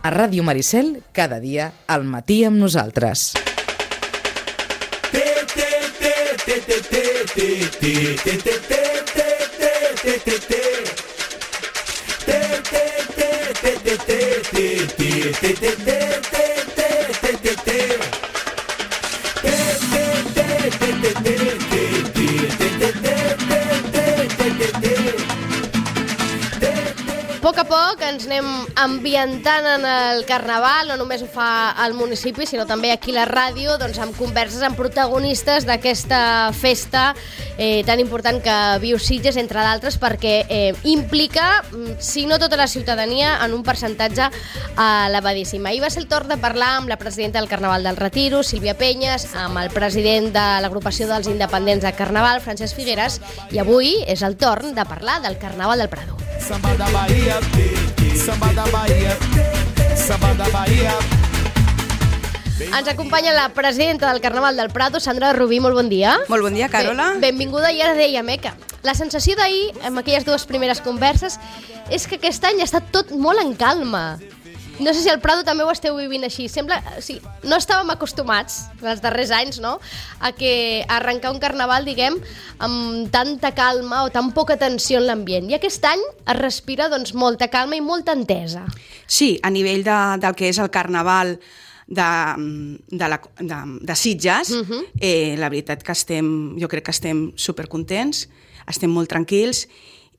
A Ràdio Maricel, cada dia, al matí amb nosaltres. A poc a poc ens anem ambientant en el Carnaval, no només ho fa el municipi, sinó també aquí la ràdio, doncs amb converses amb protagonistes d'aquesta festa tan important que viu Sitges, entre d'altres, perquè implica, si no tota la ciutadania, en un percentatge elevadíssim. Ahir va ser el torn de parlar amb la presidenta del Carnaval del Retiro, Sílvia Penyes, amb el president de l'agrupació dels independents de Carnaval, Francesc Figueres, i avui és el torn de parlar del Carnaval del Prado. Samba da Bahia, samba da Bahia, samba da Bahia. Ens acompanya la presidenta del Carnaval del Prado, Sandra Rubí, molt bon dia. Molt bon dia, Carola. Benvinguda, i ara dèiem que la sensació d'ahir, amb aquelles dues primeres converses, és que aquest any ha estat tot molt en calma. No sé si al Prado també ho esteu vivint així. Sembla, no estàvem acostumats, els darrers anys, no?, a arrencar un carnaval, diguem, amb tanta calma o tan poca tensió en l'ambient. I aquest any es respira, doncs, molta calma i molta entesa. Sí, a nivell del que és el carnaval de Sitges, la veritat que jo crec que estem supercontents, estem molt tranquils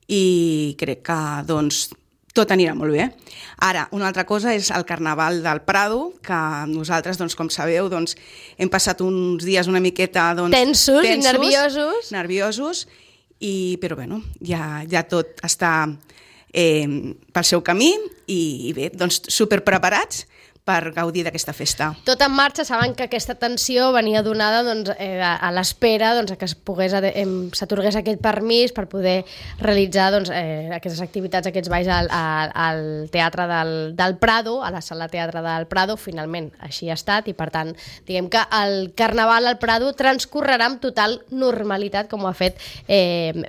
i crec que, doncs, tot anirà molt bé. Ara, una altra cosa és el Carnaval del Prado, que nosaltres, doncs, com sabeu, doncs, hem passat uns dies una miqueta tensos i nerviosos, però bueno, ja tot està pel seu camí i bé, doncs superpreparats per gaudir d'aquesta festa. Tot en marxa, saben que aquesta tensió venia donada a l'espera que s'atorgués aquest permís per poder realitzar aquestes activitats, aquests balls al Teatre del Prado, a la Sala Teatre del Prado. Finalment, així ha estat, i per tant, diguem que el Carnaval al Prado transcorrerà amb total normalitat, com ho ha fet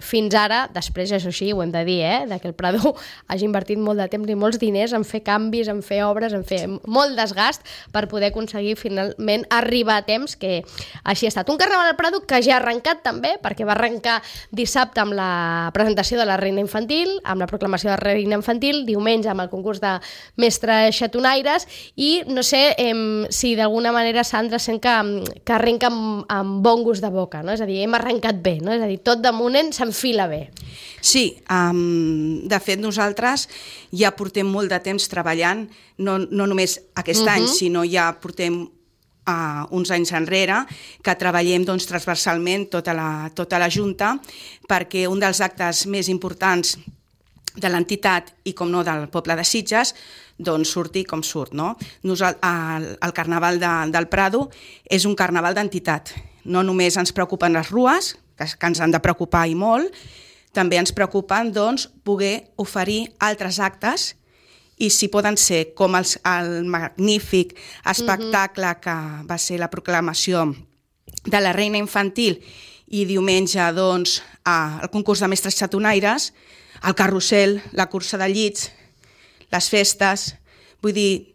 fins ara. Després, això sí, ho hem de dir, que el Prado hagi invertit molt de temps i molts diners en fer canvis, en fer obres, en fer molt desgast per poder aconseguir finalment arribar a temps, que així ha estat. Un Carnaval al Prado que ja ha arrencat també, perquè va arrencar dissabte amb la presentació de la Reina Infantil, amb la proclamació de la Reina Infantil, diumenge amb el concurs de mestres xatonaires, i no sé si d'alguna manera, Sandra, sent que arrenca amb bon gust de boca, no? És a dir, hem arrencat bé, no? És a dir, tot de moment s'enfila bé. Sí, de fet nosaltres ja portem molt de temps treballant, no només aquest any, sinó ja portem uns anys enrere, que treballem transversalment tota la Junta, perquè un dels actes més importants de l'entitat i, com no, del poble de Sitges, doncs surti com surt, no? El Carnaval del Prado és un carnaval d'entitat. No només ens preocupen les rues, que ens han de preocupar i molt, també ens preocupen, doncs, poder oferir altres actes, i si poden ser com el magnífic espectacle que va ser la proclamació de la Reina Infantil, i diumenge, doncs, el concurs de mestres xatonaires, el carrusel, la cursa de llits, les festes, vull dir,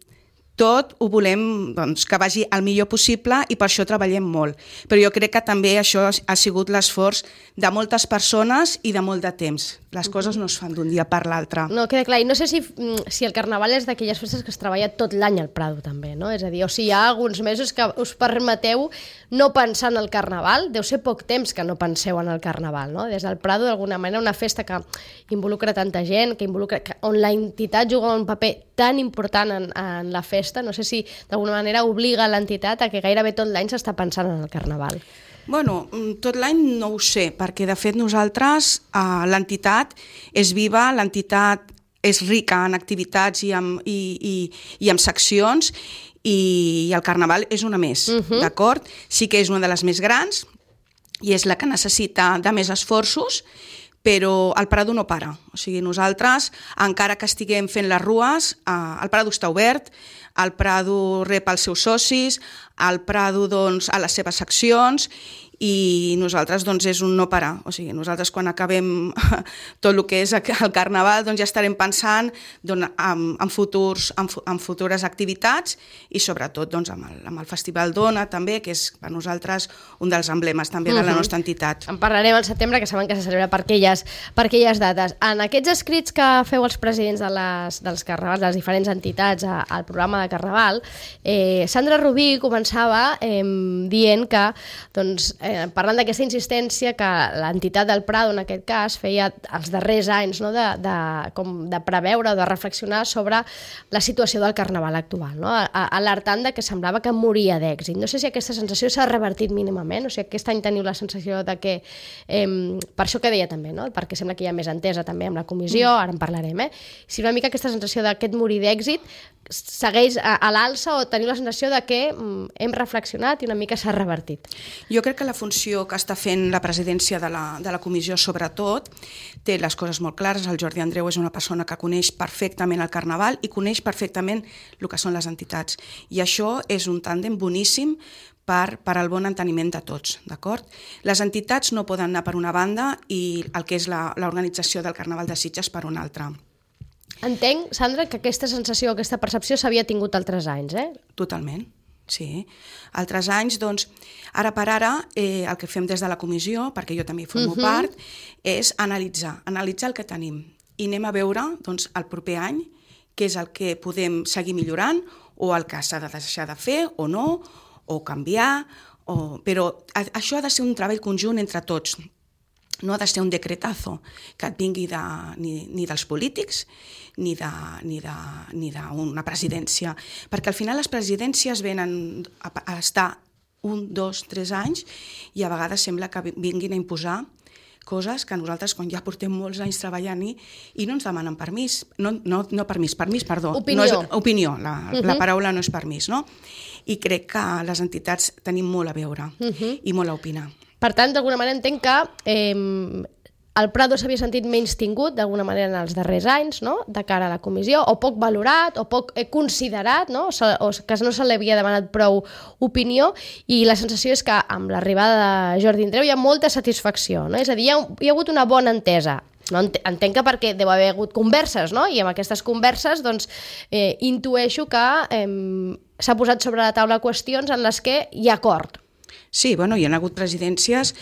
tot ho volem que vagi el millor possible, i per això treballem molt. Però jo crec que també això ha sigut l'esforç de moltes persones i de molt de temps. Les coses no es fan d'un dia per l'altre. No, queda clar. I no sé si el Carnaval és d'aquelles festes que es treballa tot l'any al Prado, també, no? És a dir, o si hi ha alguns mesos que us permeteu no pensar en el Carnaval, deu ser poc temps que no penseu en el Carnaval, no? Des del Prado, d'alguna manera, una festa que involucra tanta gent, on la entitat juga un paper tan important en la festa, no sé si d'alguna manera obliga l'entitat a que gairebé tot l'any s'està pensant en el Carnaval. Bueno, tot l'any no ho sé, perquè de fet nosaltres, l'entitat és viva, l'entitat és rica en activitats i en seccions, i el Carnaval és una més, d'acord? Sí que és una de les més grans i és la que necessita de més esforços, però el Prado no para. O sigui, nosaltres, encara que estiguem fent les rues, el Prado està obert, el Prado rep els seus socis, el Prado, doncs, a les seves seccions, i nosaltres doncs és un no parar, o sigui, nosaltres quan acabem tot el que és el Carnaval doncs ja estarem pensant en futures activitats i sobretot doncs amb el Festival Dona també, que és per nosaltres un dels emblemes també de la nostra entitat. En parlarem al setembre, que saben que se celebra per aquelles dates. En aquests escrits que feu els presidents dels carnavals, de les diferents entitats al programa de Carnaval, Sandra Rubí començava dient que, doncs, parlant d'aquesta insistència que l'entitat del Prado, en aquest cas, feia els darrers anys, no? de preveure o de reflexionar sobre la situació del Carnaval actual, no? Alertant que semblava que moria d'èxit. No sé si aquesta sensació s'ha revertit mínimament, o sigui, aquest any teniu la sensació de que, per això que deia també, no? Perquè sembla que hi ha més entesa també amb la comissió, ara en parlarem, si una mica aquesta sensació d'aquest morir d'èxit segueix a l'alça o teniu la sensació de que hem reflexionat i una mica s'ha revertit? Jo crec que la funció que està fent la presidència de la comissió sobretot té les coses molt clares. El Jordi Andreu és una persona que coneix perfectament el Carnaval i coneix perfectament el que són les entitats. I això és un tàndem boníssim per al bon enteniment de tots, d'acord? Les entitats no poden anar per una banda i el que és l'organització del Carnaval de Sitges per una altra. Entenc, Sandra, que aquesta sensació, aquesta percepció s'havia tingut altres anys, Totalment, sí. Altres anys, doncs, ara per ara, el que fem des de la comissió, perquè jo també formo part, és analitzar el que tenim i anem a veure, doncs, el proper any què és el que podem seguir millorant o el que s'ha de deixar de fer o no, o canviar, però això ha de ser un treball conjunt entre tots. No ha de ser un decretazo que et vingui ni dels polítics ni d'una presidència, perquè al final les presidències venen a estar 1, 2, 3 anys i a vegades sembla que vinguin a imposar coses que nosaltres, quan ja portem molts anys treballant-hi, i no ens demanen permís, perdó. Opinió, la paraula no és permís, no? I crec que les entitats tenim molt a veure i molt a opinar. Per tant, d'alguna manera entenc que el Prado s'havia sentit menys tingut d'alguna manera en els darrers anys, no? De cara a la comissió, o poc valorat, o poc considerat, no? O que no se li havia demanat prou opinió, i la sensació és que amb l'arribada de Jordi Andreu hi ha molta satisfacció, no? És a dir, hi ha hagut una bona entesa. No, entenc que perquè deu haver hagut converses, no? I amb aquestes converses doncs, intueixo que s'ha posat sobre la taula qüestions en les que hi ha acord. Sí, bueno, hi ha hagut presidències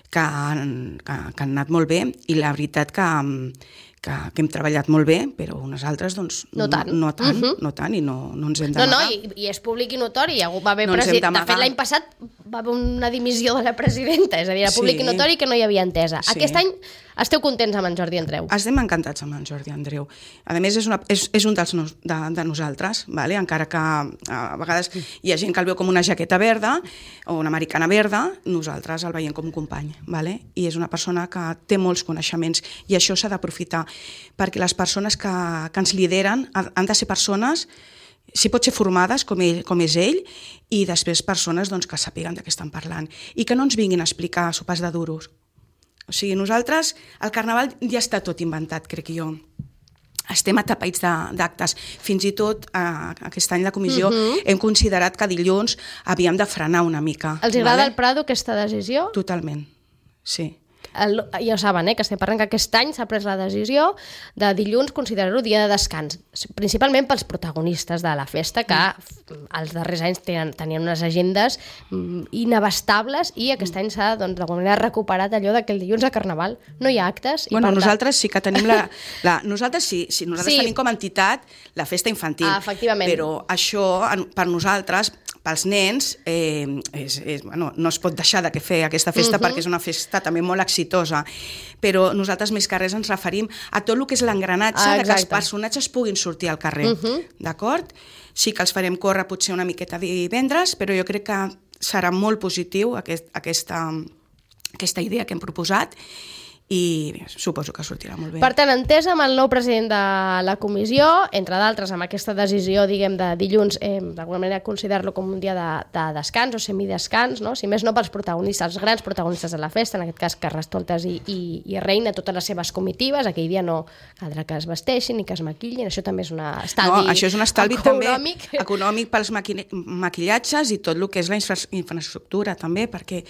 que han anat molt bé i la veritat que hem treballat molt bé, però unes altres doncs, no tant i no ens hem d'amagar. I és públic i notori. Va haver de fet, l'any passat va haver una dimissió de la presidenta, és a dir, era públic i notori que no hi havia entesa. Sí. Aquest any esteu contents amb en Jordi Andreu? Estem encantats amb en Jordi Andreu. A més, és un de nosaltres, vale? Encara que a vegades hi ha gent que el veu com una jaqueta verda o una americana verda, nosaltres el veiem com un company, vale? I és una persona que té molts coneixements i això s'ha d'aprofitar, perquè les persones que ens lideren han de ser persones, si pot ser formades com és ell, i després persones doncs, que sàpiguen de què estan parlant i que no ens vinguin a explicar sopars de duros. O sigui, nosaltres, el Carnaval ja està tot inventat, crec jo. Estem atapeïts d'actes. Fins i tot aquest any la comissió hem considerat que dilluns havíem de frenar una mica. Els agrada al Prado aquesta decisió? Totalment, sí. Ja ho saben, que estem parlant que aquest any s'ha pres la decisió de dilluns considerar-ho dia de descans, principalment pels protagonistes de la festa, que els darrers anys tenien unes agendes inabastables i aquest any s'ha d'alguna manera recuperat allò que el dilluns a Carnaval no hi ha actes. Bueno, nosaltres sí que tenim nosaltres tenim com a entitat la festa infantil, però això per nosaltres, pels nens, no es pot deixar de fer aquesta festa perquè és una festa també molt exitosa, però nosaltres més que res ens referim a tot el que és l'engranatge que els personatges puguin sortir al carrer, d'acord? Sí que els farem córrer potser una miqueta divendres, però jo crec que serà molt positiu aquesta idea que hem proposat i suposo que sortirà molt bé. Per tant, entesa amb el nou president de la comissió, entre d'altres, amb aquesta decisió, diguem, de dilluns, d'alguna manera considerar-lo com un dia de descans o semidescans, no? Si més no pels protagonistes, els grans protagonistes de la festa, en aquest cas Carnestoltes i Reina, totes les seves comitives, aquell dia no caldrà que es vesteixin ni que es maquillin, això també és un estalvi econòmic. No, això és un estalvi també econòmic pels maquillatges i tot el que és la infraestructura també, perquè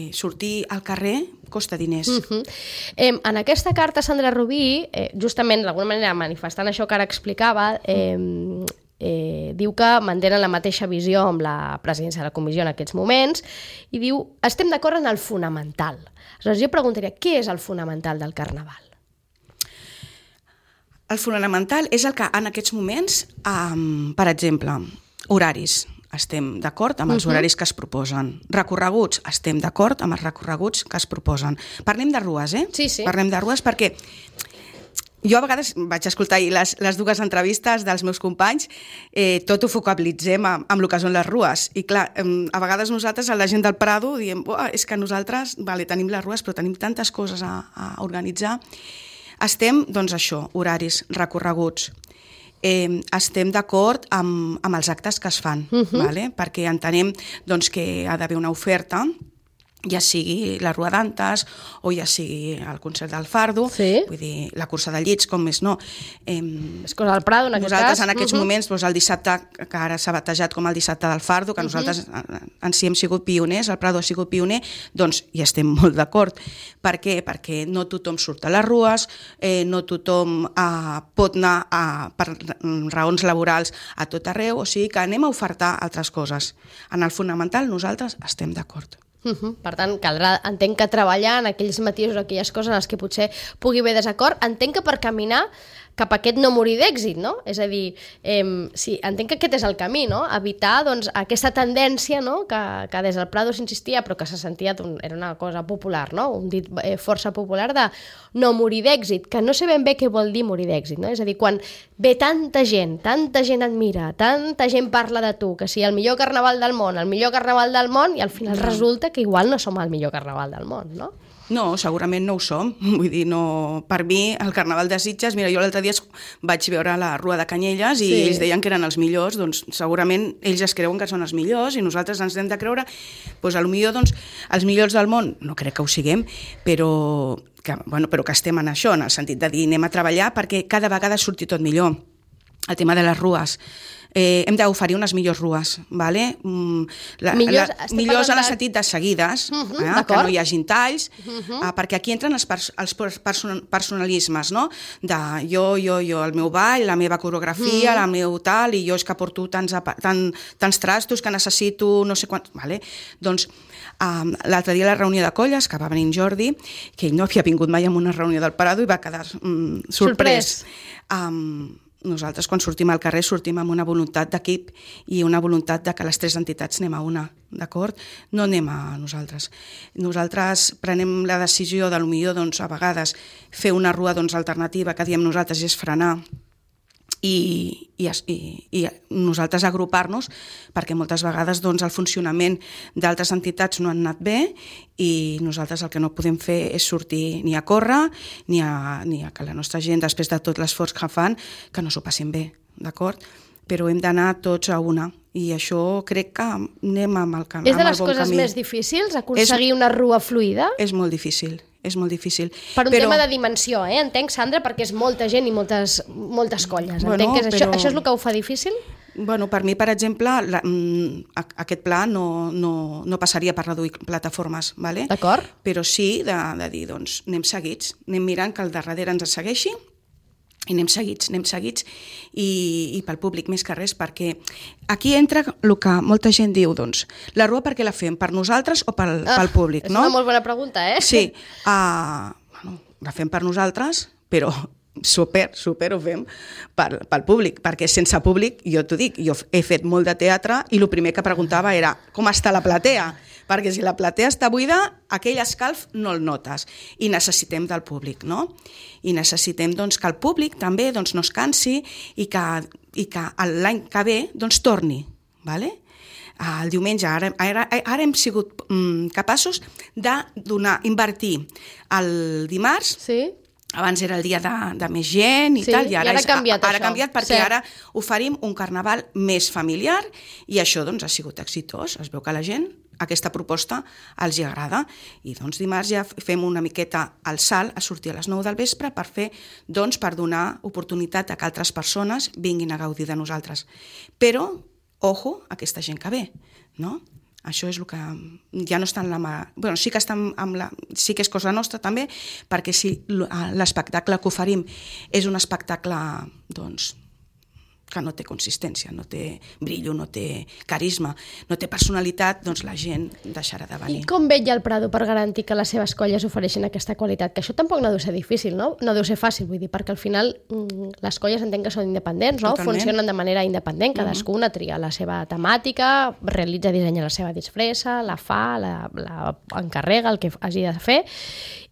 sortir al carrer costa diners. En aquesta carta, Sandra Rubí, justament d'alguna manera manifestant això que ara explicava, diu que mantenen la mateixa visió amb la presidència de la comissió en aquests moments i diu, estem d'acord en el fonamental. Aleshores, jo preguntaria, què és el fonamental del Carnaval? El fonamental és el que en aquests moments, per exemple, horaris. Estem d'acord amb els horaris que es proposen. Recorreguts, estem d'acord amb els recorreguts que es proposen. Parlem de rues, Sí, sí. Parlem de rues perquè jo a vegades vaig escoltar les dues entrevistes dels meus companys, tot ho focalitzem amb el que són les rues. I clar, a vegades nosaltres, a la gent del Prado, diem és que nosaltres tenim les rues, però tenim tantes coses a organitzar. Estem, doncs això, horaris, recorreguts. Estem d'acord amb els actes que es fan, vale? Perquè entenem doncs, que ha d'haver una oferta, ja sigui la Rua d'Antes o ja sigui el concert del Fardo, vull dir, la cursa de llits, com més no. És cosa del Prado, en aquest cas. Nosaltres en aquests moments, doncs, el dissabte, que ara s'ha batejat com el dissabte del Fardo, que nosaltres en si hem sigut pioners, el Prado ha sigut pioner, doncs hi estem molt d'acord. Per què? Perquè no tothom surt a les rues, no tothom pot anar per raons laborals a tot arreu, o sigui que anem a ofertar altres coses. En el fonamental nosaltres estem d'acord. Per tant, caldrà, entenc que treballar en aquells matisos, aquelles coses en les que potser pugui haver desacord, entenc que per caminar cap a aquest no morir d'èxit, no? És a dir, sí, entenc que aquest és el camí, no? Evitar doncs, aquesta tendència, no? que des del Prado s'insistia, però que se sentia, era una cosa popular, no? Un dit força popular de no morir d'èxit, que no sé ben bé què vol dir morir d'èxit, no? És a dir, quan ve tanta gent admira, tanta gent parla de tu, que si el millor carnaval del món, i al final resulta que igual no som el millor carnaval del món, no? No, segurament no ho som. Vull dir, no, per mi, el Carnaval de Sitges, mira, jo l'altre dia vaig veure la Rua de Canyelles i ells deien que eren els millors, doncs segurament ells es creuen que són els millors i nosaltres ens hem de creure, doncs potser doncs, els millors del món, no crec que ho siguem, però que estem en això, en el sentit de dir anem a treballar perquè cada vegada surti tot millor. El tema de les rues. Hem d'oferir unes millors rues, ¿vale? millors en el sentit de seguides, que no hi hagin talls, perquè aquí entren els personalismes, no? De jo, el meu ball, la meva coreografia, la meu tal, i jo és que porto tants trastos que necessito no sé quants... Vale? Doncs l'altre dia a la reunió de colles, que va venir en Jordi, que ell no havia vingut mai a una reunió del Prado i va quedar sorprès. Nosaltres, quan sortim al carrer, sortim amb una voluntat d'equip i una voluntat de que les tres entitats anem a una, d'acord? No anem a nosaltres. Nosaltres prenem la decisió de potser, doncs, a vegades, fer una rua alternativa, que diem nosaltres, és frenar i nosaltres agrupar-nos, perquè moltes vegades el funcionament d'altres entitats no han anat bé i nosaltres el que no podem fer és sortir ni a córrer ni a que la nostra gent, després de tot l'esforç que fan, que no s'ho passin bé, d'acord? Però hem d'anar tots a una i això crec que anem amb el bon camí. És de les coses més difícils, aconseguir una rua fluida? És molt difícil. És molt difícil. Per un tema de dimensió, entenc, Sandra, perquè és molta gent i moltes colles. Entenc que això és el que ho fa difícil? Bueno, per mi, per exemple, aquest pla no passaria per reduir plataformes, ¿vale? D'acord. Però sí de dir, doncs, anem seguits, anem mirant que el darrere ens segueixi i anem seguits i pel públic més que res, perquè aquí entra el que molta gent diu, doncs, la rua per què la fem? Per nosaltres o pel públic, no? És una molt bona pregunta, Sí, la fem per nosaltres, però super ho fem pel públic, perquè sense públic, jo t'ho dic, jo he fet molt de teatre i el primer que preguntava era com està la platea? Perquè si la platea està buida, aquell escalf no el notes i necessitem del públic, no? I necessitem doncs, que el públic també doncs, no es cansi i que l'any que ve doncs, torni, ¿vale? el diumenge, ara hem sigut capaços invertir el dimarts. Sí. Abans era el dia de més gent i tal, i ara ha canviat ara això. ha canviat perquè ara oferim un carnaval més familiar i això doncs ha sigut exitós. Es veu que a la gent aquesta proposta els hi agrada i doncs dimarts ja fem una miqueta el salt a sortir a les 9 del vespre per donar oportunitat a que altres persones vinguin a gaudir de nosaltres. Però, ojo, aquesta gent que ve, no? Això és el que ja no està en la mà. Bueno, sí que sí que és cosa nostra també, perquè si l'espectacle que oferim és un espectacle, doncs, que no té consistència, no té brillo, no té carisma, no té personalitat, doncs la gent deixarà de venir. I com vetlla el Prado per garantir que les seves colles ofereixin aquesta qualitat? Que això tampoc no deu ser difícil, no? No deu ser fàcil, vull dir, perquè al final les colles entenc que són independents, no? Totalment. Funcionen de manera independent, cadascuna tria la seva temàtica, dissenya la seva disfressa, la fa, la encarrega, el que hagi de fer,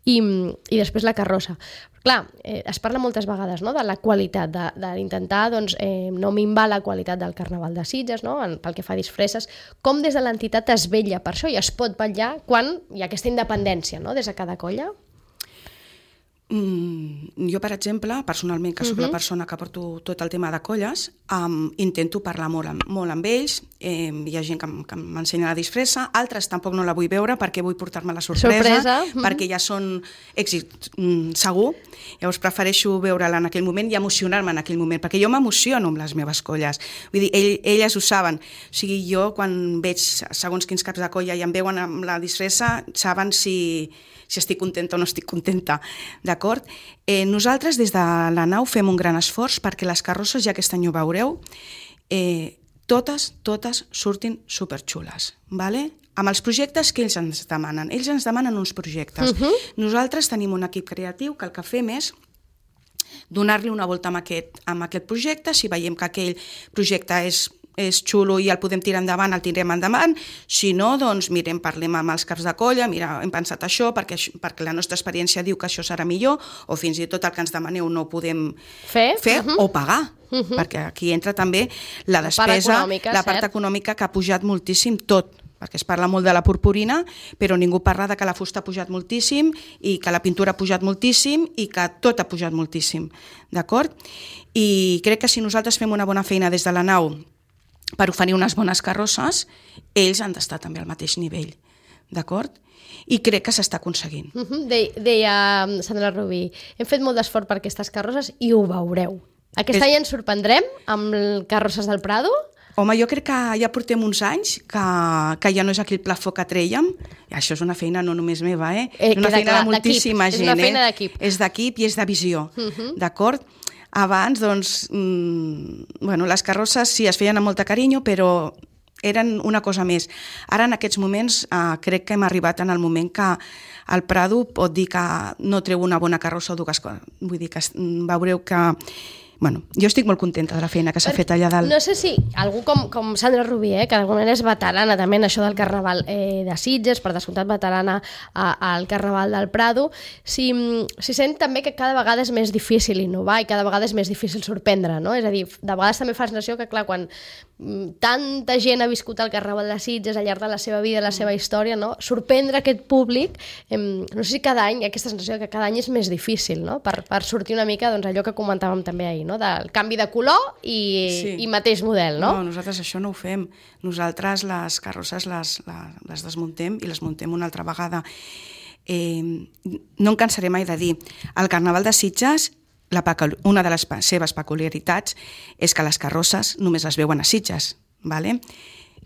i després la carrossa. Clar, es parla moltes vegades, no?, de la qualitat, d'intentar doncs, no minvar la qualitat del Carnaval de Sitges, no?, pel que fa a disfresses. Com des de l'entitat es vetlla per això i es pot vetllar quan hi ha aquesta independència, no?, des de cada colla? Jo, per exemple, personalment, que sóc la persona que porto tot el tema de colles, intento parlar molt amb ells, hi ha gent que m'ensenya la disfressa, altres tampoc no la vull veure perquè vull portar-me la sorpresa. Perquè ja són èxit segur, llavors prefereixo veure-la en aquell moment i emocionar-me en aquell moment, perquè jo m'emociono amb les meves colles. Vull dir, elles ho saben. O sigui, jo quan veig segons quins caps de colla i em veuen amb la disfressa, saben si estic contenta o no estic contenta, d'acord? Nosaltres des de la nau fem un gran esforç perquè les carrosses, ja aquest any ho veureu, totes surtin superxules, ¿vale? Amb els projectes que ells ens demanen. Ells ens demanen uns projectes. Nosaltres tenim un equip creatiu que el que fem és donar-li una volta amb aquest projecte. Si veiem que aquell projecte és xulo i el podem tirar endavant, el tindrem endavant. Si no, doncs parlem amb els caps de colla, mira, hem pensat això perquè la nostra experiència diu que això serà millor, o fins i tot el que ens demaneu no ho podem fer o pagar, perquè aquí entra també la despesa, la part econòmica que ha pujat moltíssim tot, perquè es parla molt de la purpurina, però ningú parla de que la fusta ha pujat moltíssim i que la pintura ha pujat moltíssim i que tot ha pujat moltíssim, d'acord? I crec que si nosaltres fem una bona feina des de la nau per oferir unes bones carrosses, ells han d'estar també al mateix nivell, d'acord? I crec que s'està aconseguint. Deia Sandra Rubí, hem fet molt d'esforç per aquestes carrosses i ho veureu. Aquest any ens sorprendrem amb carrosses del Prado? Home, jo crec que ja portem uns anys que ja no és aquell plafó que trèiem. I això és una feina no només meva, és una feina de moltíssima gent. És una feina d'equip. És d'equip i és de visió, d'acord? Abans, doncs, les carrosses sí es feien amb molta carinyo, però eren una cosa més. Ara, en aquests moments, crec que hem arribat en el moment que el Prado pot dir que no treu una bona carrossa o dues coses. Vull dir que veureu que... Bueno, jo estic molt contenta de la feina que s'ha fet allà dalt. No sé si algú com Sandra Rubí, que d'alguna manera és veterana també en això del Carnaval de Sitges, per descomptat veterana al Carnaval del Prado, si sent també que cada vegada és més difícil innovar i cada vegada és més difícil sorprendre, no? És a dir, de vegades també fa la sensació que, clar, quan tanta gent ha viscut el Carnaval de Sitges al llarg de la seva vida, la seva història, no? Sorprendre aquest públic, no sé si cada any, aquesta sensació que cada any és més difícil, no? Per sortir una mica, doncs, allò que comentàvem també ahir, no? Del canvi de color i mateix model, no? No, nosaltres això no ho fem. Nosaltres les carrosses les desmuntem i les muntem una altra vegada. No em cansaré mai de dir, el Carnaval de Sitges, una de les seves peculiaritats és que les carrosses només es veuen a Sitges, ¿vale?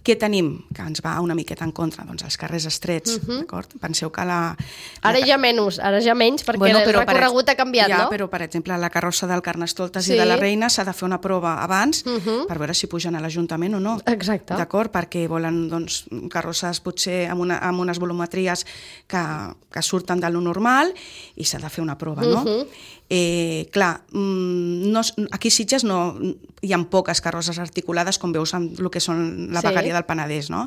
Què tenim? Que ens va una miqueta en contra, doncs els carrers estrets, d'acord? Penseu que Ara ja menys, perquè el recorregut ha canviat, no? Ja, però, per exemple, la carrossa del Carnestoltes i de la Reina s'ha de fer una prova abans per veure si pugen a l'Ajuntament o no. Exacte. D'acord? Perquè volen, doncs, carrosses potser amb unes volumetries que surten de lo normal i s'ha de fer una prova, no? Clar, aquí a Sitges hi ha poques carrosses articulades com veus en el que són la vegueria del Penedès, no?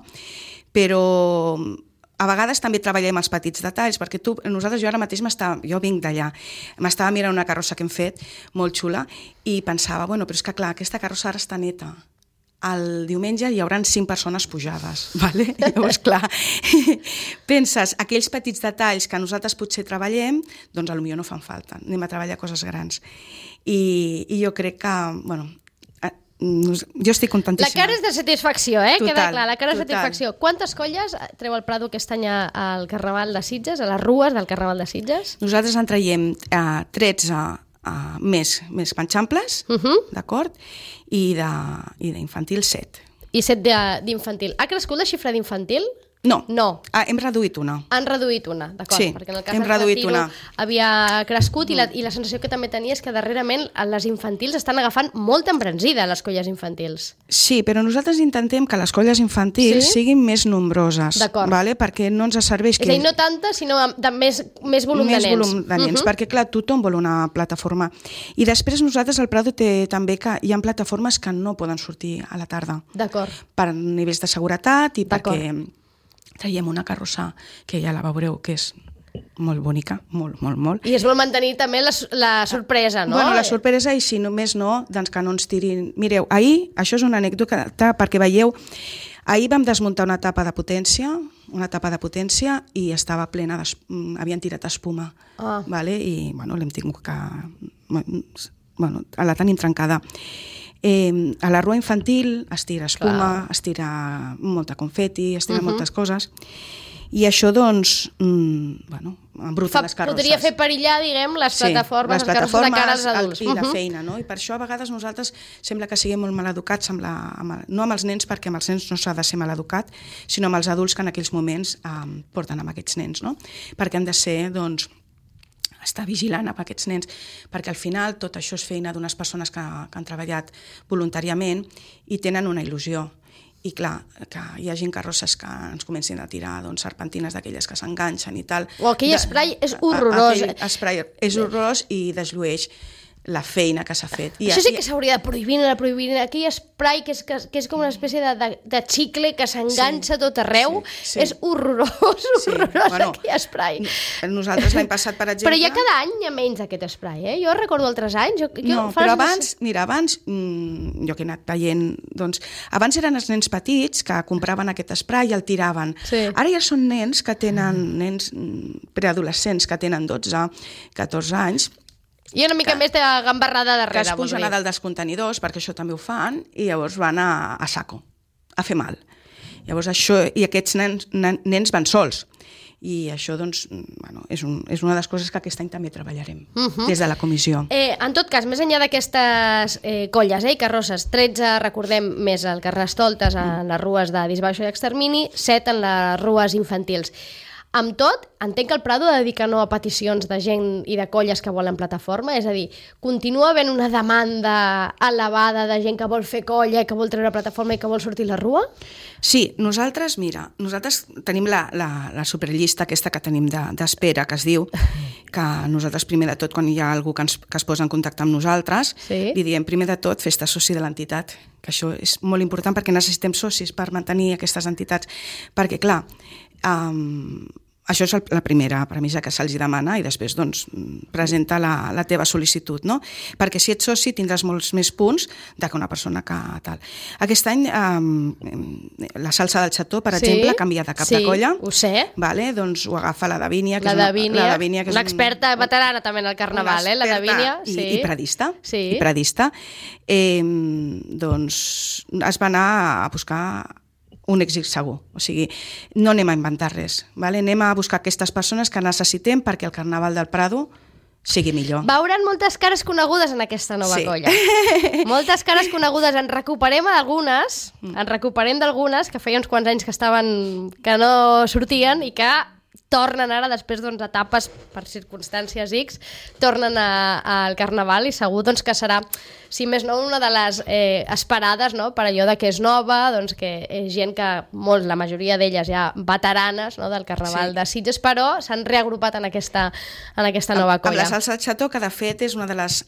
Però a vegades també treballem els petits detalls, perquè jo ara mateix jo vinc d'allà, m'estava mirant una carrossa que hem fet, molt xula, i pensava, però és que clar, aquesta carrossa ara està neta, el diumenge hi haurà 5 persones pujades, vale? Llavors, clar, penses, aquells petits detalls que nosaltres potser treballem, doncs potser no fan falta, anem a treballar coses grans. I jo crec que, bueno, jo estic contentíssima. La cara és de satisfacció, Total, queda clar, la cara és de total. satisfacció. Quantes colles treu el Prado aquest any al Carnaval de Sitges, a les rues del Carnaval de Sitges? Nosaltres en traiem 13 més penxamples, d'acord? I d'infantil 7. I 7 d'infantil. Ha crescut la xifra d'infantil? No, No. Hem reduït una. Han reduït una, d'acord, Sí, perquè en el cas hem del reduït Retiro una. havia crescut i la sensació que també tenia és que darrerament les infantils estan agafant molta embranzida, les colles infantils. Sí, però nosaltres intentem que les colles infantils Sí? siguin més nombroses, D'acord. vale? Perquè no ens serveix És a dir, no tanta, sinó de més volum de més nens. volum de nens, perquè clar, tothom vol una plataforma. I després nosaltres, el Prado té també que hi ha plataformes que no poden sortir a la tarda, D'acord. per nivells de seguretat i D'acord. perquè traiem una carrossa que ja la veureu, que és molt bonica, molt. I es vol mantenir també la sorpresa, no? Bueno, la sorpresa, i si només no, doncs que no ens tirin... Mireu, ahir, això és una anècdota perquè veieu, ahir vam desmuntar una tapa de potència i estava plena, havien tirat espuma, vale? I bueno, l'hem tingut que... Bueno, la tenim trencada. A la rua infantil es tira espuma, es tira molta confeti, es tira moltes coses, i això, doncs, bueno, embruta les carrosses. Podria fer perillar, diguem, les plataformes, les carrosses de cara als adults. I la feina, no? I per això a vegades nosaltres sembla que siguem molt maleducats, no amb els nens, perquè amb els nens no s'ha de ser maleducat, sinó amb els adults que en aquells moments porten amb aquests nens, no? Perquè han de ser, doncs, estar vigilant amb aquests nens, perquè al final tot això és feina d'unes persones que han treballat voluntàriament i tenen una il·lusió. I clar, que hi hagi carrosses que ens comencin a tirar serpentines d'aquelles que s'enganxen i tal. O aquell spray és horrorós. Aquell spray és horrorós i desllueix la feina que s'ha fet. Això sí que s'hauria de prohibir, aquell spray que és com una espècie de xicle que s'enganxa tot arreu. És horrorós, aquell spray. Nosaltres l'any passat, per exemple... Però ja cada any hi ha menys aquest spray, Jo recordo altres anys... No, però abans, jo que he anat veient, doncs, abans eren els nens petits que compraven aquest spray i el tiraven. Ara ja són nens preadolescents que tenen 12, 14 anys, i una mica més de gambarrada darrere. Que es pugen a dalt dels contenidors, perquè això també ho fan, i llavors van a saco, a fer mal. Llavors això, i aquests nens van sols. I això, doncs, bueno, és una de les coses que aquest any també treballarem, des de la comissió. En tot cas, més enllà d'aquestes colles i carrosses, 13, recordem, més el Carnestoltes en les rues de Disbauxa i Extermini, 7 en les rues infantils. Amb tot, entenc que el Prado dedica no a peticions de gent i de colles que volen plataforma, és a dir, continua havent una demanda elevada de gent que vol fer colla, que vol treure plataforma i que vol sortir a la rua? Sí, nosaltres tenim la superllista aquesta que tenim d'espera, que es diu, que nosaltres primer de tot, quan hi ha algú que es posa en contacte amb nosaltres, li diem primer de tot fes-te soci de l'entitat, que això és molt important perquè necessitem socis per mantenir aquestes entitats, perquè clar, això és la primera premissa que se'ls demana i després doncs, presenta la teva sol·licitud, no? Perquè si ets soci tindràs molts més punts que una persona que tal. Aquest any la salsa del xató, per exemple, ha canviat de cap de colla. Ho sé. Vale? Doncs ho agafa la Davínia, que és una experta veterana també en el Carnaval, la Davínia. I predista. Sí. I predista. Doncs es va anar a buscar un èxit segur, o sigui, no anem a inventar res, vale? Anem a buscar aquestes persones que necessitem perquè el Carnaval del Prado sigui millor. Veuran moltes cares conegudes en aquesta nova colla. Moltes cares conegudes. En recuperem d'algunes que feia uns quants anys que no sortien i que tornen ara, després d'etapes per circumstàncies X, tornen al Carnaval i segur que serà, si més no, una de les esperades, per allò que és nova, que és gent que la majoria d'elles ja veteranes del Carnaval de Sitges, però s'han reagrupat en aquesta nova colla. Amb la salsa de xató, que de fet és una de les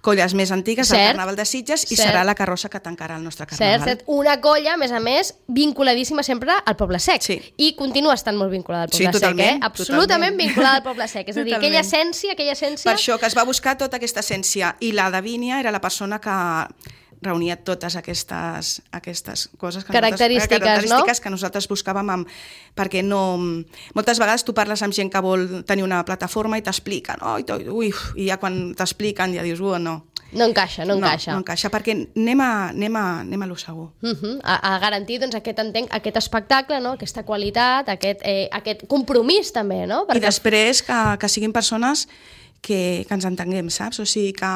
colles més antigues del Carnaval de Sitges i serà la carrossa que tancarà el nostre Carnaval. Cert. Una colla, a més, vinculadíssima sempre al Poble Sec. I continua estant molt vinculada al Poble Sec. Absolutament vinculada al Poble Sec. És a dir, aquella essència... Per això que es va buscar tota aquesta essència. I la Davínia era la persona que reunia totes aquestes coses Característiques, que nosaltres buscàvem perquè moltes vegades tu parles amb gent que vol tenir una plataforma i t'explica, no? I ja quan t'expliquen ja dius, no. No encaixa. No encaixa, perquè anem a lo segur. A garantir doncs, aquest espectacle, no? Aquesta qualitat, aquest compromís també, no? I després que siguin persones que ens entenguem, saps? O sigui, que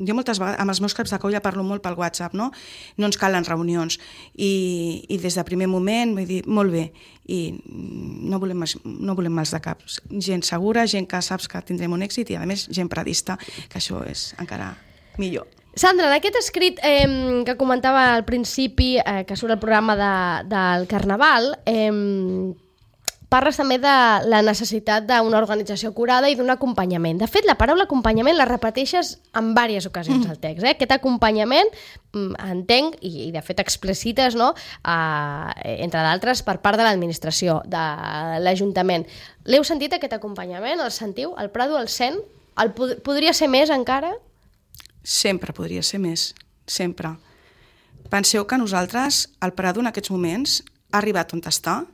jo moltes vegades, amb els meus caps de colla parlo molt pel WhatsApp, no? No ens calen reunions. I des de primer moment vull dir, molt bé, i no volem mals de caps. Gent segura, gent que saps que tindrem un èxit i, a més, gent predista, que això és encara millor. Sandra, en aquest escrit que comentava al principi, que surt el programa del Carnaval, parles també de la necessitat d'una organització acurada i d'un acompanyament. De fet, la paraula acompanyament la repeteixes en diverses ocasions al text. Aquest acompanyament, entenc, i de fet explicites, no? Entre d'altres, per part de l'administració, de l'Ajuntament. L'heu sentit, aquest acompanyament? El sentiu? El Prado el sent? Podria ser més encara? Sempre podria ser més, sempre. Penseu que nosaltres, el Prado en aquests moments, ha arribat on està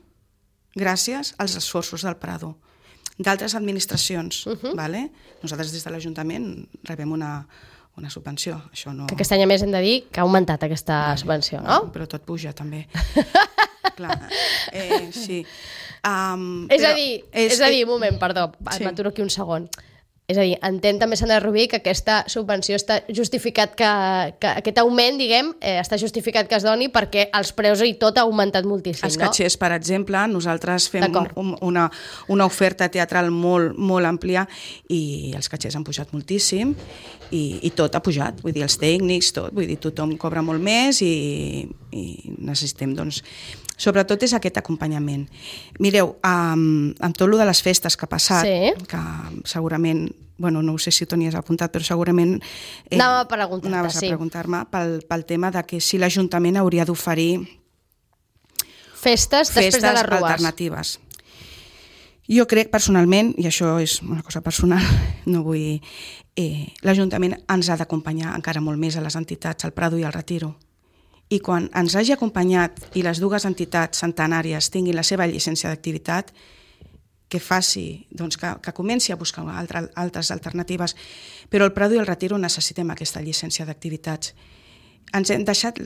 gràcies als esforços del Prado, d'altres administracions. Vale? Nosaltres des de l'Ajuntament rebem una subvenció. Això no... Que aquest any a més hem de dir que ha augmentat aquesta subvenció, no? Però tot puja també. Clar, sí. És a dir, un moment, perdó, m'aturo aquí un segon. És a dir, entén també, Sandra Rubí, que aquesta subvenció està justificat, que aquest augment, diguem, està justificat que es doni perquè els preus i tot ha augmentat moltíssim, Els catxers, per exemple, nosaltres fem una oferta teatral molt, molt àmplia i els catxers han pujat moltíssim i tot ha pujat, vull dir, els tècnics, tot, vull dir, tothom cobra molt més i necessitem, doncs, sobretot és aquest acompanyament. Mireu, amb tot el de les festes que ha passat, que segurament, no ho sé si t'ho anies apuntat, però segurament anaves a preguntar-me pel tema de que si l'Ajuntament hauria d'oferir festes després de les rues alternatives. Jo crec personalment, i això és una cosa personal, no vull... l'Ajuntament ens ha d'acompanyar encara molt més a les entitats, al Prado i al Retiro. I quan ens hagi acompanyat i les dues entitats centenàries tinguin la seva llicència d'activitat, que faci, doncs que comenci a buscar altres alternatives. Però el Prado i el Retiro necessitem aquesta llicència d'activitats. Ens hem deixat,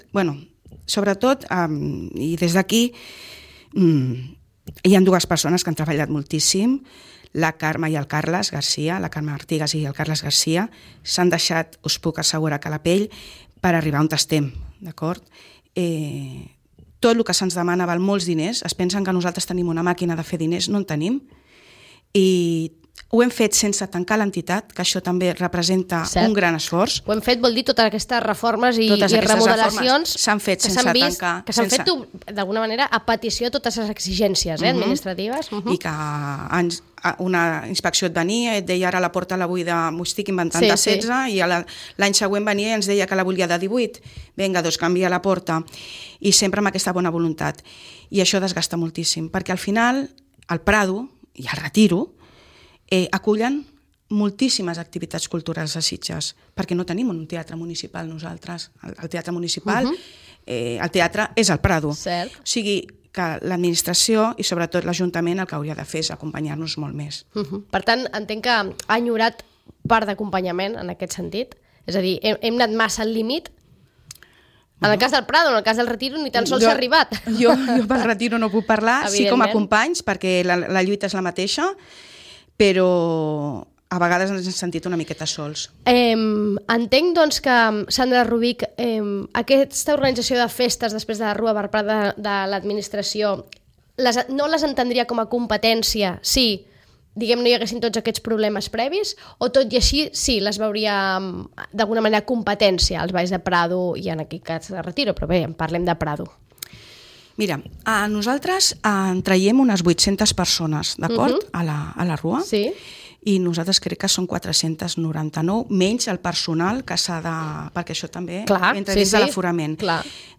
sobretot, i des d'aquí, hi ha dues persones que han treballat moltíssim, la Carme i el Carles Garcia, la Carme Artigas i el Carles Garcia, s'han deixat, us puc assegurar, que la pell per arribar on estem, d'acord? Tot el que se'ns demana val molts diners, es pensen que nosaltres tenim una màquina de fer diners, no en tenim, i ho hem fet sense tancar l'entitat, que això també representa un gran esforç. Ho hem fet, vol dir, totes aquestes reformes i remodelacions s'han fet sense tancar. Que s'han fet, d'alguna manera, a petició de totes les exigències administratives. I que una inspecció et venia i et deia ara la porta la vull m'ho estic inventant de 16 i l'any següent venia i ens deia que la volia de 18. Vinga, doncs canvia la porta. I sempre amb aquesta bona voluntat. I això desgasta moltíssim, perquè al final el Prado i el Retiro acullen moltíssimes activitats culturals a Sitges, perquè no tenim un teatre municipal nosaltres. El teatre municipal, el teatre és el Prado. Cert. O sigui, que l'administració i sobretot l'Ajuntament el que hauria de fer és acompanyar-nos molt més. Per tant, entenc que ha enyorat part d'acompanyament en aquest sentit? És a dir, hem anat massa al límit? En el cas del Prado, en el cas del Retiro, ni tan sols s'ha arribat. Jo pel Retiro no puc parlar, sí com a companys, perquè la lluita és la mateixa, però a vegades ens hem sentit una miqueta sols. Entenc, doncs, que, Sandra Rubí, aquesta organització de festes després de la Rua per part de l'administració no les entendria com a competència, sí, diguem, no hi haguessin tots aquests problemes previs, o tot i així, sí, les veuria d'alguna manera competència als Valls de Prado i en aquest cas de Retiro, però bé, parlem de Prado. Mira, nosaltres traiem unes 800 persones, d'acord, a la Rua, i nosaltres crec que són 499, menys el personal que s'ha de... perquè això també entra dins de l'aforament.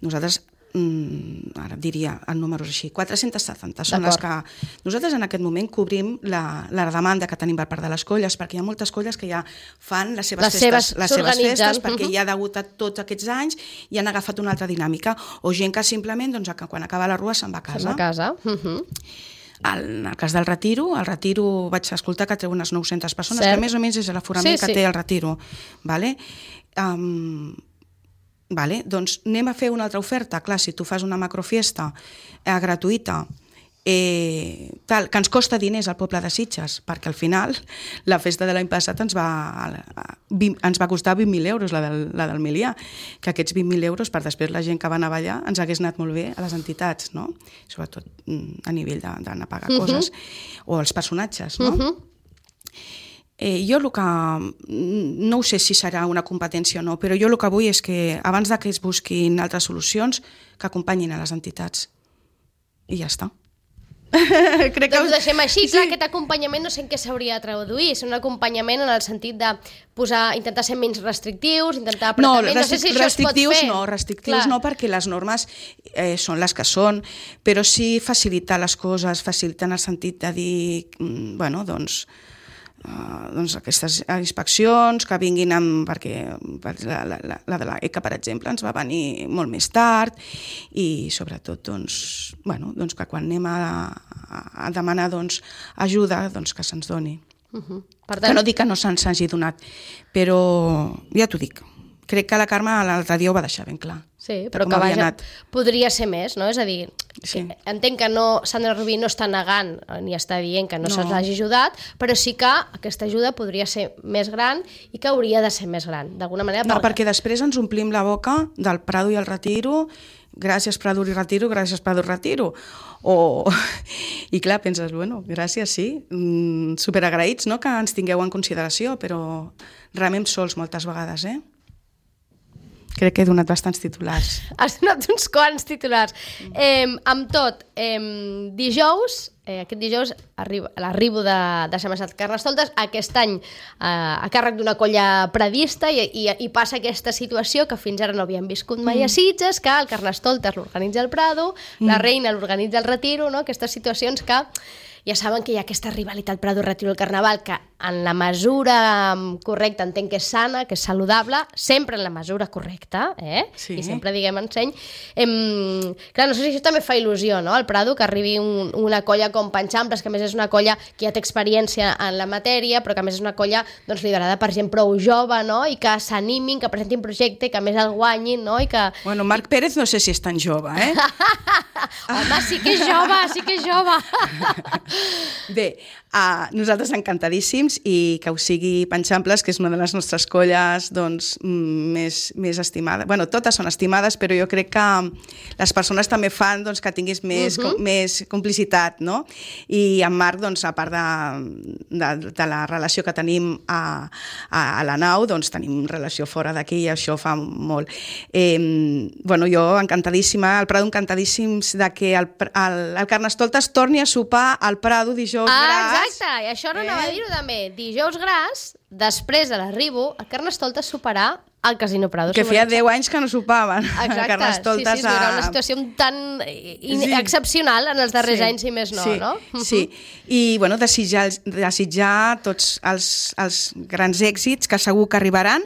Nosaltres ara diria el número així, 470 són les que... Nosaltres en aquest moment cobrim la demanda que tenim per part de les colles, perquè hi ha moltes colles que ja fan les seves festes perquè ja degut a tots aquests anys i han agafat una altra dinàmica, o gent que simplement quan acaba la rua se'n va a casa. Se'n va a casa. En el cas del Retiro, vaig escoltar que treu unes 900 persones, que més o menys és l'aforament que té el Retiro. Vale? Doncs anem a fer una altra oferta. Clar, si tu fas una macrofiesta gratuïta, que ens costa diners al poble de Sitges, perquè al final la festa de l'any passat ens va costar 20.000 euros, la del Milià, que aquests 20.000 euros per després la gent que va anar a ballar ens hagués anat molt bé a les entitats, no? Sobretot a nivell d'anar a pagar coses, o els personatges, no? Jo el que... no ho sé si serà una competència o no, però jo el que vull és que abans que es busquin altres solucions, que acompanyin a les entitats. I ja està. Crec que ho deixem així. Clar, aquest acompanyament no sé en què s'hauria de traduir. És un acompanyament en el sentit de intentar ser menys restrictius, intentar apretar menys. No sé si això es pot fer. Restrictius no, perquè les normes són les que són, però sí facilitar les coses, facilitar en el sentit de dir, bueno, doncs aquestes inspeccions que vinguin perquè la de l'ECA, per exemple, ens va venir molt més tard, i sobretot que quan anem a demanar ajuda, que se'ns doni. Que no dic que no se'ns hagi donat, però ja t'ho dic, crec que la Carme l'altre dia ho va deixar ben clar. Sí, però que vaja, podria ser més, no? És a dir, entenc que Sandra Rubí no està negant ni està dient que no se'ls hagi ajudat, però sí que aquesta ajuda podria ser més gran i que hauria de ser més gran, d'alguna manera. No, perquè després ens omplim la boca del Prado i el Retiro, gràcies Prado i Retiro, gràcies Prado i Retiro. I clar, penses, bueno, gràcies, sí, superagraïts, no?, que ens tingueu en consideració, però remem sols moltes vegades, Crec que he donat bastants titulars. Has donat uns quants titulars. Amb tot, aquest dijous l'arribo de Sant Maçat Carnestoltes, aquest any a càrrec d'una colla pradista, i passa aquesta situació que fins ara no havíem viscut mai a Sitges, que el Carnestoltes l'organitza el Prado, la Reina l'organitza el Retiro, no? Aquestes situacions que ja saben que hi ha aquesta rivalitat Prado-Retiro al Carnaval, que en la mesura correcta entenc que és sana, que és saludable, sempre en la mesura correcta, Sí. I sempre diguem enseny. Clar, no sé si això també fa il·lusió, no?, al Prado, que arribi una colla com Panxamples, que a més és una colla que ja té experiència en la matèria, però que a més és una colla liderada per gent prou jove, no?, i que s'animin, que presentin projecte, que a més el guanyin, no?, i que... Bueno, Marc Pérez no sé si és tan jove, Home, sí que és jove, Bé, nosaltres encantadíssims, i que ho sigui Panxamples, que és una de les nostres colles més estimades. Bueno, totes són estimades, però jo crec que les persones també fan que tinguis més complicitat, no? I en Marc, a part de la relació que tenim a la nau, tenim relació fora d'aquí, i això fa molt. Bueno, jo encantadíssima, el Prado encantadíssims de que el Carnestoltes torni a sopar al Prado dijous gras. Exacte, i això no anava a dir-ho també. Dijous gras, després de l'arribo, el Carnestoltes soparà al Casino Prado. Que feia 10 anys que no sopaven. Exacte, sí, era una situació tan excepcional en els darrers anys, i més no, no? Sí, i bueno, desitjar tots els grans èxits que segur que arribaran,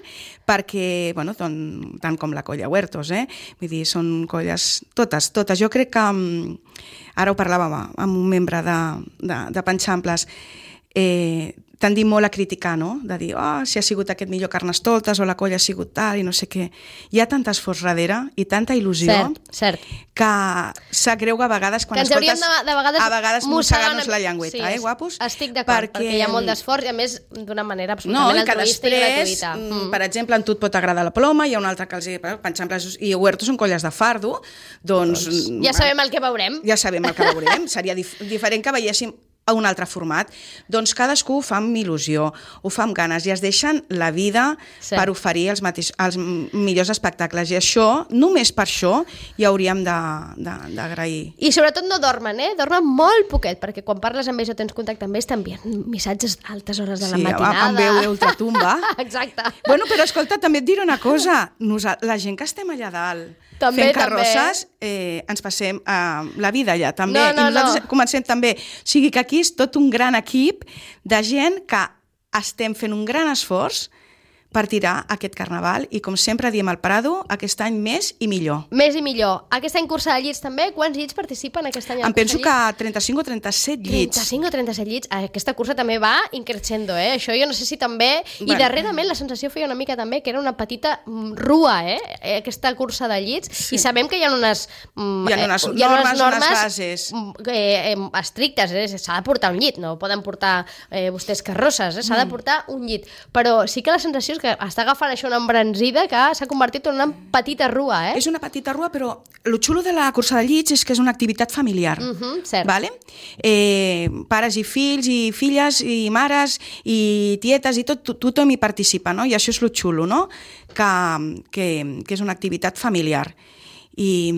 perquè, bueno, tant com la colla Huertos, vull dir, són colles totes. Jo crec que, ara ho parlàvem amb un membre de Panxamples, tendim molt a criticar, no?, de dir, si ha sigut aquest millor Carnestoltes o la colla ha sigut tal i no sé què. Hi ha tant esforç darrere i tanta il·lusió que s'agreuga a vegades quan escoltes... a vegades mossegar-nos la llengüeta, guapos? Estic d'acord, perquè hi ha molt d'esforç, i a més d'una manera absolutament altruista i gratuïta. Per exemple, a tu et pot agradar la Ploma, hi ha un altre que els Panxamples i Huertos són colles de fardo, doncs... Ja sabem el que veurem. Seria diferent que veiéssim a un altre format. Doncs cadascú ho fa amb il·lusió, ho fa amb ganes, i es deixen la vida per oferir els millors espectacles, i això, només per això, hi hauríem d'agrair. I sobretot no dormen, dormen molt poquet, perquè quan parles amb ells o tens contacte amb ells t'envien missatges a altes hores de la matinada. Amb veu ultratumba. Exacte. Bueno, però escolta, també et diré una cosa, la gent que estem allà dalt, També, fent carrosses, ens passem la vida allà, també. No, I nosaltres comencem també. O sigui que aquí és tot un gran equip de gent que estem fent un gran esforç per tirar aquest carnaval i, com sempre diem al Prado, aquest any més i millor. Més i millor. Aquest any cursa de llits també? Quants llits participen aquest any? Em penso que 35 o 37 llits. 35 o 37 llits. Aquesta cursa també va increixendo, Això jo no sé si també... I darrerament la sensació feia una mica també que era una petita rua, Aquesta cursa de llits. Sí. I sabem que hi ha unes... Hi ha unes normes, unes bases. Estrictes, S'ha de portar un llit, no poden portar vostès carrosses, S'ha de portar un llit. Però sí que la sensació és que està agafant això una embranzida que s'ha convertit en una petita rua, És una petita rua, però el xulo de la cursa de llits és que és una activitat familiar. Cert. Vale? Pares i fills, i filles, i mares, i tietes, i tothom hi participa, no? I això és el xulo, no? Que és una activitat familiar. I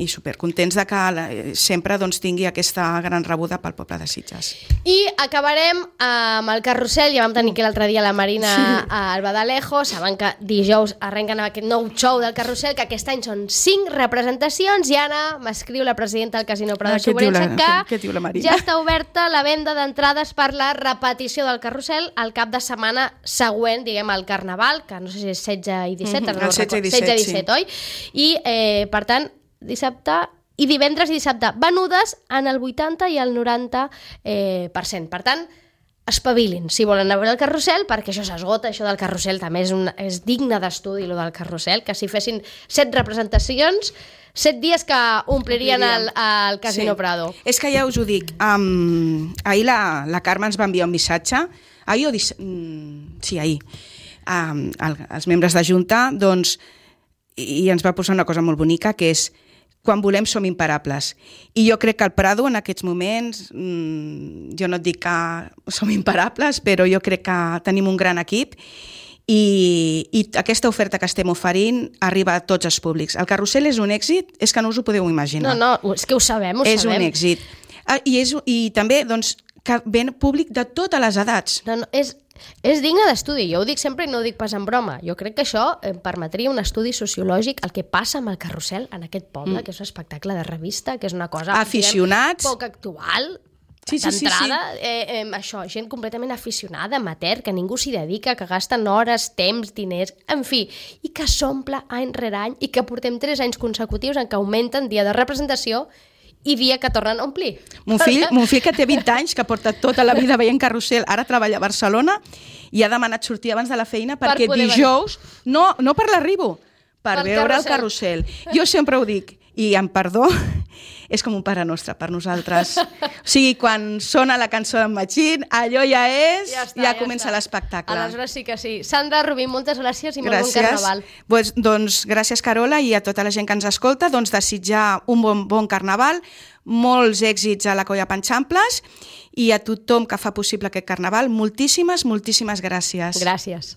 supercontents de que sempre tingui aquesta gran rebuda pel poble de Sitges. I acabarem amb el carrusel. Ja vam tenir que l'altre dia la Marina al Badalejo. Saben que dijous arrenquen aquest nou show del carrusel, que aquest any són 5 representacions. I Anna m'escriu, la presidenta del Casino Prado de Sobrença, que ja està oberta la venda d'entrades per la repetició del carrusel el cap de setmana següent, diguem, al Carnaval, que no sé si és 16 i 17, el 16 i 17, oi? I per tant, dissabte i divendres i dissabte venudes en el 80 i el 90%. Per tant, espavilin si volen anar a veure el carrusel, perquè això s'esgota, això del carrusel també és digne d'estudi, lo del carrusel, que si fessin 7 representacions, 7 dies que omplirien el Casino Prado. És que ja us ho dic, ahir la Carme ens va enviar un missatge, ahir, els membres de Junta, i ens va posar una cosa molt bonica, que és quan volem som imparables. I jo crec que el Prado en aquests moments, jo no et dic que som imparables, però jo crec que tenim un gran equip i aquesta oferta que estem oferint arriba a tots els públics. El carrusel és un èxit, és que no us ho podeu imaginar. No, és que ho sabem, És un èxit. I també, que ven públic de totes les edats. No, és digne d'estudi, jo ho dic sempre i no ho dic pas en broma. Jo crec que això permetria un estudi sociològic, el que passa amb el carrusel en aquest poble, que és un espectacle de revista, que és una cosa aficionats, poc actual, d'entrada. Això, gent completament aficionada, amateur, que ningú s'hi dedica, que gasten hores, temps, diners, en fi, i que s'omple any rere any, i que portem 3 anys consecutius en què augmenten dia de representació i dia que tornen a omplir. Mon fill que té 20 anys, que porta tota la vida veient carrusel, ara treballa a Barcelona i ha demanat sortir abans de la feina perquè dijous, no per l'arribo, per veure el carrusel. Jo sempre ho dic, i amb perdó, és com un pare nostre per nosaltres. O sigui, quan sona la cançó d'en Machín, allò ja és, ja comença l'espectacle. Aleshores sí que sí. Sandra Rubí, moltes gràcies i molt bon carnaval. Doncs gràcies, Carola, i a tota la gent que ens escolta, desitjar un bon carnaval, molts èxits a la Colla Panxamples i a tothom que fa possible aquest carnaval, moltíssimes gràcies. Gràcies.